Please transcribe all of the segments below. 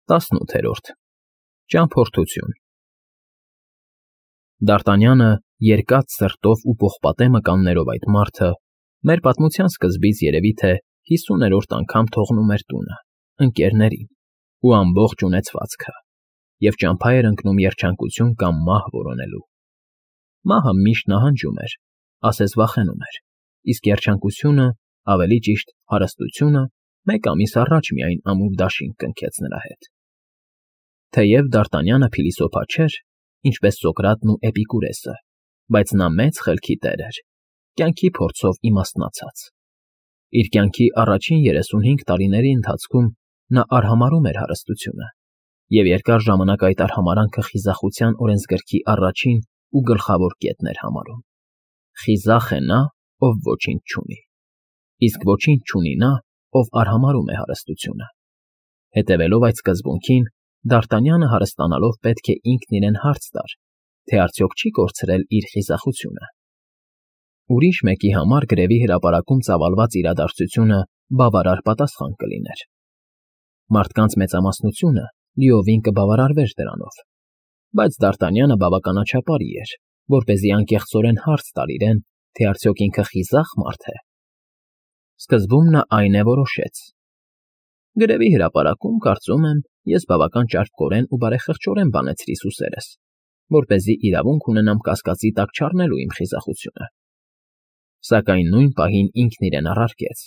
18-րդ Ճամփորդություն Դ'Արտանյանը երկած սրտով ու պողպատե մկաններով այդ մարդը մեր պատմության սկզբից երևի թե 50-րդ անգամ թողնում էր տունը, ընկերներին ու ամբողջ ունեցվածքը և ճամփա էր ընկնում երջանկություն կամ մահ որոնելու։ Մահը միշտ նահանջում էր, ասես վախենում էր, իսկ երջանկությունը, ավելի ճիշտ հարստությունը, մեկ ամիս առաջ միայն ամուր դաշինք կնքեց նրա հետ։ Թեև Դ'Արտանյանը փիլիսոփա չէր, ինչպես Սոկրատն ու Էպիկուրեսը, բայց նա մեծ խելքի տեր էր, կյանքի փորձով իմաստնացած։ Իր կյանքի առաջին 35 տարիների ընթացքում նա արհամարհում էր հարստությունը, և երկար ժամանակ այդ արհամարհանքը խիզախության օրենսգրքի առաջին ու գլխավոր կետն էր համարում։ Խիզախ է նա, ով ոչինչ չունի, իսկ ոչինչ չունի նա, ով արհամարհում է հարստությունը։ Հետևելով այդ սկզբունքին, Դ'Արտանյանը հարստանալով պետք է ինքն իրեն հարց տար, թե արդյոք չի կորցրել իր խիզախությունը։ Ուրիշ մեկի համար գրևի հրապարակում ծավալված իրադարձությունը բավարար պատասխան կլիներ։ Մարդկանց մեծամասնությունը լիովին կբավարարվեր դրանով, բայց Դ'Արտանյանը բավականաչափարի էր, որպեսզի անկեղծորեն հարց տար իրեն, թե արդյոք ինքը խիզախ մարդ է։ Սկզբում նա այն է որոշեց. գրևի հրապարակում, կարծում եմ, ես բավական ճարպկորեն ու բարեխղճորեն բանեցրի սուսերս, որպեսզի իրավունք ունենամ կասկածի տակ չառնելու իմ խիզախությունը։ Սակայն նույն պահին ինքն իրեն առարկեց.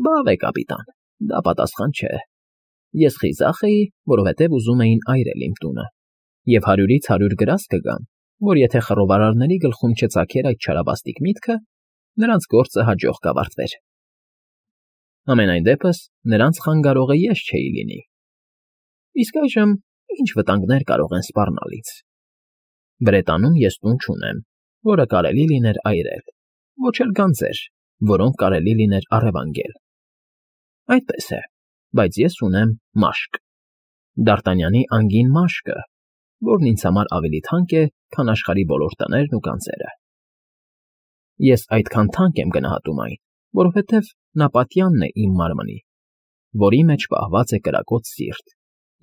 «Բավ է, կապիտան, դա պատասխան չէ։ Ես խիզախ էի, որովհետև ուզում էին այրել իմ տունը, և 100-ից 100 գրազ կգամ, որ եթե խռովարարների գլխում չծագեր այդ չարաբաստիկ միտքը, նրանց գործը հաջող կավարտվեր։ Համենայն դեպս, նրանց խանգարողը ես չէի լինի։ Իսկ այժմ ինչ վտանգներ կարող են սպառնալ ինձ։ Բրետանում ես տուն չունեմ, որը կարելի լիներ այրել, ոչ էլ գանձեր, որոնք կարելի լիներ առևանգել։ Այդպես է, բայց ես ունեմ մաշկ, Դ'Արտանյանի անգին մաշկը, որն ինձ համար ավելի թանկ է, քան աշխարհի բոլոր տներն ու գանձերը։ Ես այդքան թանկ եմ գնահատում այն, որովհետև նա պատյանն է իմ մարմնի, որի մեջ պահված է կրակոտ սիրտ,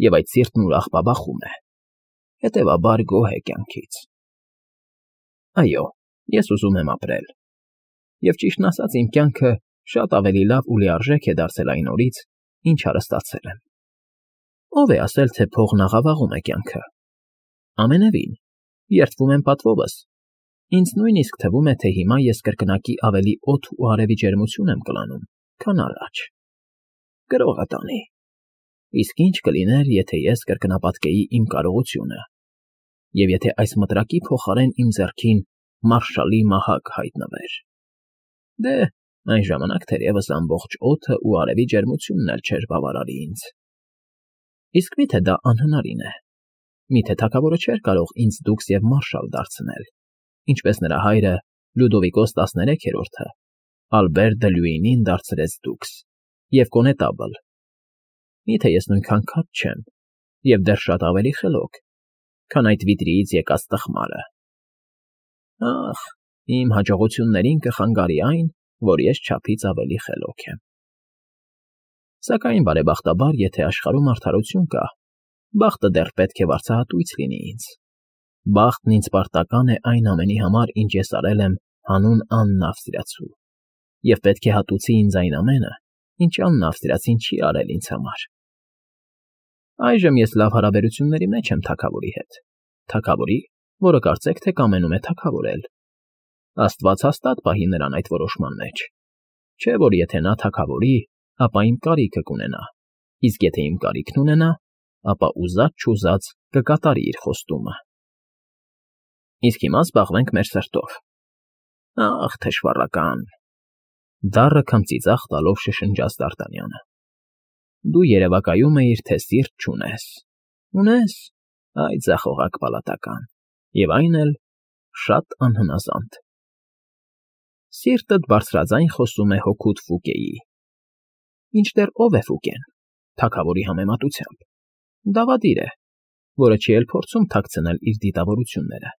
և այդ սիրտն ուրախ բաբախում է, հետևաբար գոհ է կյանքից։ Այո, ես ուզում եմ ապրել, և ճիշտն ասած իմ կյանքը շատ ավելի լավ ու լիարժեք է դարձել այն օրից, ինչ հարստացել եմ։ Ո՞վ է ասել, թե փողն աղավաղում է կյանքը։ Ամենևին, երդվում եմ պատվովս, ինձ նույնիսկ թվում է, թե հիմա ես կրկնակի ավելի օդ ու արևի ջերմություն եմ կլանում, քան առաջ։ Գրողը տանի։ Իսկ ինչ կլիներ, եթե ես կրկնապատկեի իմ կարողությունը, և եթե այս մտրակի փոխարեն իմ ձեռքին մարշալի մահակ հայտնվեր։ Դե, այն ժամանակ թերևս ամբողջ օդը ու արևի ջերմությունն էլ չէր բավարարի ինձ։ Իսկ մի՞թե դա անհնարին է։ Մի՞թե թագավորը չէր կարող ինձ դուքս և մարշալ դարձնել, ինչպես նրա հայրը Լյուդովիկոս 13-րդը Ալբեր դը Լյուինին դարձրեց դուքս և կոնետաբլ։ Մի՞թե ես նույնքան քաջ չեմ և դեռ շատ ավելի խելոք, քան այդ վիտրիից եկած տխմարը։ Ախ, իմ հաջողություններին կխանգարի այն, որ ես չափից ավելի խելոք եմ։ Սակայն, բարեբախտաբար, եթե աշխարհում արդարություն կա, բախտը դեռ պետք է վարձահատույց լինի ինձ։ Բախտն ինձ պարտական է այն ամենի համար, ինչ ես արել եմ հանուն Աննա Ավստրիացու, և պետք է հատուցի ինձ այն ամենը, ինչ Աննա Ավստրիացին չի արել ինձ համար։ Այժմ ես լավ հարաբերությունների մեջ եմ թագավորի հետ, թագավորի, որը կարծեք թե կամենում է թագավորել։ Աստված հաստատ պահի նրան այդ որոշման մեջ, չէ՞ որ եթե նա թագավորի, ապա իմ կարիքը կունենա, իսկ եթե իմ կարիքն ունենա, ապա ուզած֊չուզած կկատարի իր խոստումը։ Իսկ հիմա զբաղվենք մեր սրտով։ Ախ, թշվառական, դառը քմծիծաղ տալով շշնջաց Դ'Արտանյանը։ Դու երևակայում էիր, թե սիրտ չունես։ Ունես, այ ձախողակ պալատական, և այն էլ շատ անհնազանդ։ Սիրտդ բարձրաձայն խոսում է հոգուդ Ֆուկեի։ Մինչդեռ ով է Ֆուկեն, թագավորի համեմատությամբ։ Դավադիր է, որը չի էլ փորձում թաքցնել իր դիտավորությունները,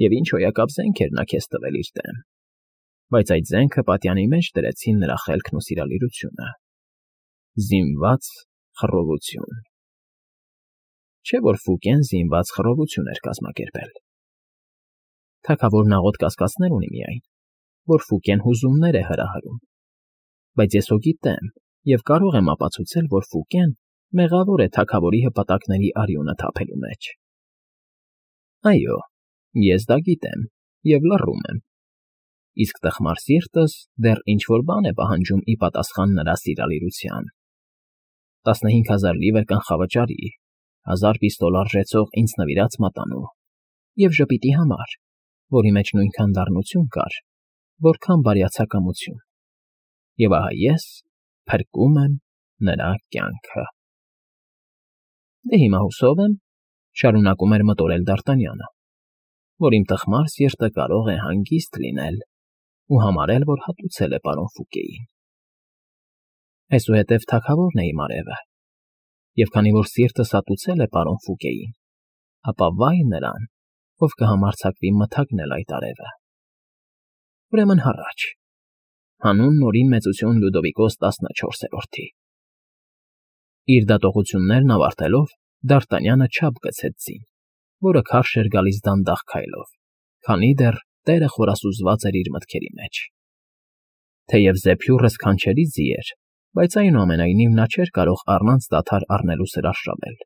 և ինչ հոյակապ զենք էր նա քեզ տվել իր դեմ, բայց այդ զենքը պատյանի մեջ դրեցին նրա խելքն ու սիրալիրությունը։ Զինված խռովություն։ չէ՞ որ Ֆուկեն զինված խռովություն էր կազմակերպել։ Թագավորն աղոտ կասկածներ ունի միայն, որ Ֆուկեն հուզումներ է հրահրում, բայց ես հո գիտեմ և կարող եմ ապացուցել, որ Ֆուկեն մեղավոր է թագավորի հպատակների արյունը թափելու մեջ։ Այո, ես դա գիտեմ և լռում եմ, իսկ տխմար սիրտս դեռ ինչ֊որ բան է պահանջում ի պատասխան նրա սիրալիրության։ 15,000 լիվր կանխավճարի, 1000 պիստոլ արժեցող ինձ նվիրած մատանու և ժպիտի համար, որի մեջ նույնքան դառնություն կար, որքան բարյացակամություն։ Եվ ահա ես փրկում եմ նրա կյանքը։ Դե հիմա հուսով եմ, շարունակում էր մտորել Դ'Արտանյանը, որ իմ տխմար սիրտը կարող է հանգիստ լինել ու համարել, որ հատուցել է պարոն Ֆուկեին։ Այսուհետև թագավորն է իմ արևը, և քանի որ սիրտս հատուցել է պարոն Ֆուկեին, ապա վայ նրան, ով կհամարձակվի մթագնել այդ արևը։ Ուրեմն հառաչ, հանուն Նորին Մեծություն Լյուդովիկոս 14-րդի։ Իր դատողություններն ավարտելով, Դ'Արտանյանը չափ գցեց ձին, որը քարշ էր գալիս դանդաղ քայլով, քանի դեռ տեղը խորասուզված էր իր մտքերի մեջ։ Թեև զեփյուռը սքանչելի ձի էր, բայց այնուամենայնիվ նա չէր կարող առանց դադար առնելու սրարշավել։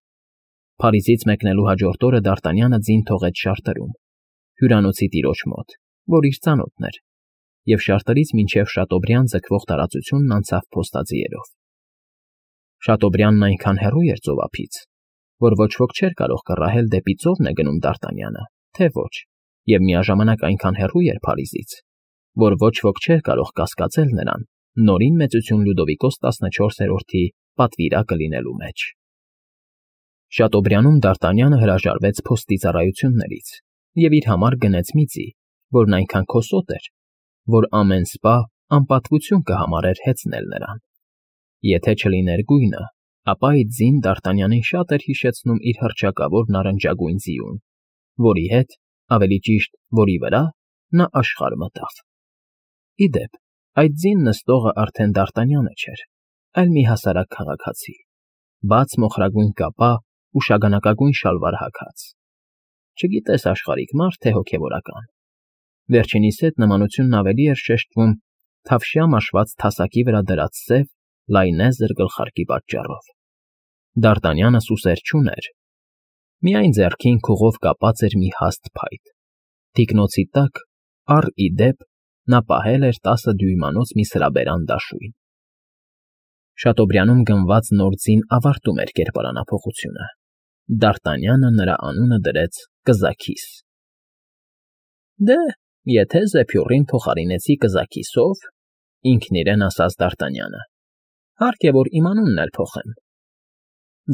Փարիզից մեկնելու հաջորդ օրը Դ'Արտանյանը ձին թողեց Շարտրում, հյուրանոցի տիրոջ մոտ, որ իր ծանոթն էր, և Շարտրից մինչև Շատոբրիան ձգվող տարածությունն անցավ փոստաձիերով։ Շատոբրիանն այնքան հեռու էր ծովափից, որ ոչ ոք չէր կարող կռահել դեպի ծովն է գնում Դ'Արտանյանը, թե ոչ, և միաժամանակ այնքան հեռու էր Փարիզից, որ ոչ ոք չէր կարող կասկածել նրան Նորին Մեծություն Լյուդովիկոս 14-րդի պատվիրակը լինելու մեջ։ Շատոբրիանում Դ'Արտանյանը հրաժարվեց փոստի ծառայություններից և իր համար գնեց մի ձի, որն այնքան քոսոտ էր, որ ամեն սպա անպատվություն կհամարեր հեծնել նրան։ Եթե չլիներ գույնը, ապա այդ ձին Դ'Արտանյանին շատ էր հիշեցնում իր հռչակավոր նարնջագույն ձիուն, որի հետ, ավելի ճիշտ, որի վրա նա աշխարհ մտավ։ Ի դեպ, այդ ձին նստողը արդեն Դ'Արտանյանը չէր, այլ մի հասարակ քաղաքացի, բաց մոխրագույն կապա ու շագանակագույն շալվար հագած։ Չգիտես աշխարհիկ մարդ, թե հոգևորական։ Վերջինիս հետ նմանությունն ավելի էր շեշտվում թավշյա մաշված թասակի վրա դրած սև, լայնեզր գլխարկի պատճառով։ Դ'Արտանյանը սուսեր չուներ, միայն ձեռքին քուղով կապած էր մի հաստ փայտ։ Թիկնոցի տակ, առ ի դեպ, նա պահել էր 10 դյույմանոց մի սրաբերան դաշույն։ Շատոբրիանում գնված նոր ձին ավարտում էր կերպարանափոխությունը։ Դ'Արտանյանը նրա անունը դրեց Կզաքիս։ Դե, եթե զեփյուռին փոխարինեցի Կզաքիսով, ինքն իրեն ասաց Դ'Արտանյանը, հարկ է, որ իմ անունն էլ փոխեմ։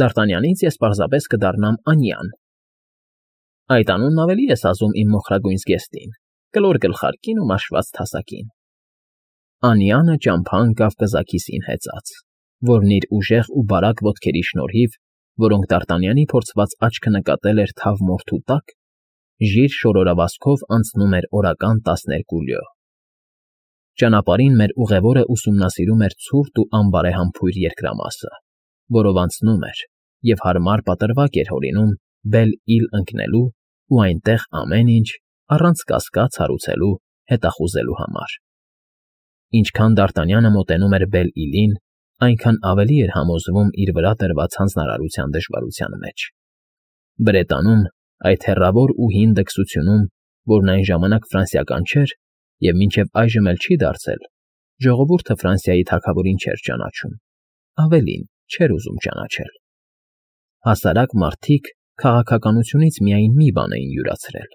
Դ'Արտանյանից ես պարզապես կդառնամ Անյան։ Այդ անունն ավելի է սազում իմ մոխրագույն զգեստին, կլոր գլխարկին ու մաշված թասակին։ Անյանը ճամփա ընկավ Կզաքիսին հեծած, որն իր ուժեղ ու բարակ ոտքերի շնորհիվ, որոնք Դ'Արտանյանի փորձված աչքը նկատել էր թավ մորթու տակ, ժիր շորորավազքով անցնում էր օրական 12 լյո։ Ճանապարհին մեր ուղևորը ուսումնասիրում էր ցուրտ ու անբարեհամբույր երկրամասը, որով անցնում էր, և հարմար պատրվակ էր հորինում Բել֊Իլ ընկնելու ու այնտեղ ամեն ինչ, առանց կասկած հարուցելու, հետախուզելու համար։ Ինչքան Դ'Արտանյանը մոտենում էր Բել֊Իլին, այնքան ավելի էր համոզվում իր վրա տրված հանձնարարության դժվարության մեջ։ Բրետանում, այդ հեռավոր ու հին դքսությունում, որն այն ժամանակ ֆրանսիական չէր և մինչև այժմ էլ չի դարձել, ժողովուրդը Ֆրանսիայի թագավորին չէր ճանաչում, ավելին, չէր ուզում ճանաչել։ Հասարակ մարդիկ քաղաքականությունից միայն մի բան էին յուրացրել։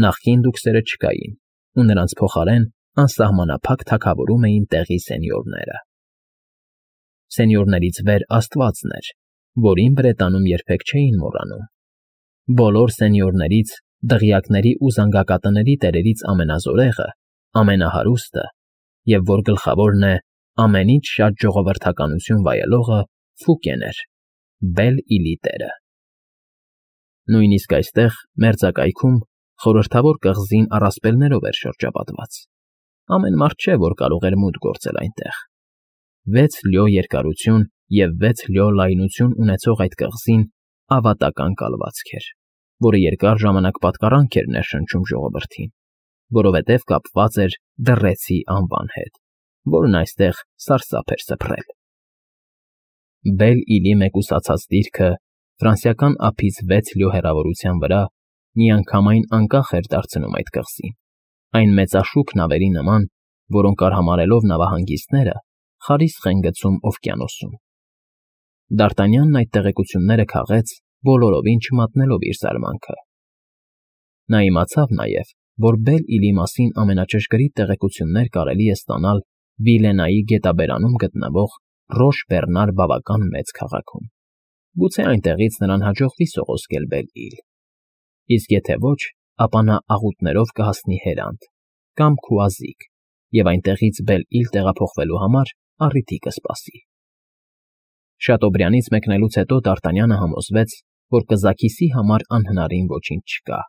Նախկին դուքսերը չկային, ու նրանց փոխարեն անսահմանափակ թագավորում էին տեղի սենյորները։ Սենյորներից վեր Աստվածն էր, որին Բրետանում երբեք չէին մոռանում։ Բոլոր սենյորներից, դղյակների ու զանգակատների տերերից ամենազորեղը, ամենահարուստը, և որ գլխավորն է ամենից շատ ժողովրդականություն վայելողը Ֆուկեն էր, Բել֊Իլի տերը։ Նույնիսկ այստեղ, մերձակայքում, խորհրդավոր կղզին առասպելներով էր շրջապատված։ Ամեն մարդ չէ, որ կարող էր մուտք գործել այնտեղ։ 6 լյո երկարություն և 6 լյո լայնություն ունեցող այդ կղզին ավատական կալվածք էր, որը երկար ժամանակ պատկառանք էր ներշնչում ժողովրդին, որովհետև կապված էր դռեցի անվան հետ, որն այստեղ սարսափ էր սփռել։ Բել֊Իլի մեկուսացած դիրքը ֆրանսիական ափից 6 լյո հեռավորության վրա միանգամայն անկախ էր դարձնում այդ կղզին, այն մեծաշուք նավերի նման, որոնք արհամարհելով նավահանգիստները խարիսխ են գցում օվկիանոսում։ Դ'Արտանյանն այդ տեղեկությունները քաղեց, բոլորովին չմատնելով իր զարմանքը։ Նա իմացավ նաև, որ Բել֊Իլի մասին ամենաճշգրիտ տեղեկություններ կարելի է ստանալ Վիլենայի գետաբերանում գտնվող Ռոշ֊Բեռնար բավական մեծ քաղաքում։ Գուցե այնտեղից նրան հաջողվի սողոսկել Բել֊Իլ, իսկ եթե ոչ, ապա նա աղուտներով կհասնի Հերանդ կամ Քուազիկ և այնտեղից Բել֊Իլ տեղափոխվելու համար առիթի կսպասի։ Շատոբրանից մեկնելուց հետո Դ'Արտանյանը համոզվեց, որ կզաքիսի համար անհնարին ոչինչ չկա,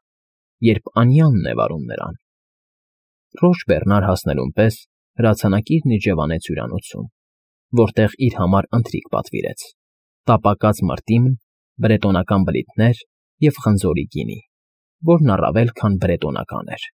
երբ Անյանն է վարում նրան։ Ռոշ֊Բեռնար հասնելուն պես հրացանակիրն իջևանեց հյուրանոցում, որտեղ իր համար ընթրիք պատվիրեց՝ տապակած մրտիմն, բրետոնական բլիթներ և խնձորի գինի, որն առավել քան բրետոնական էր։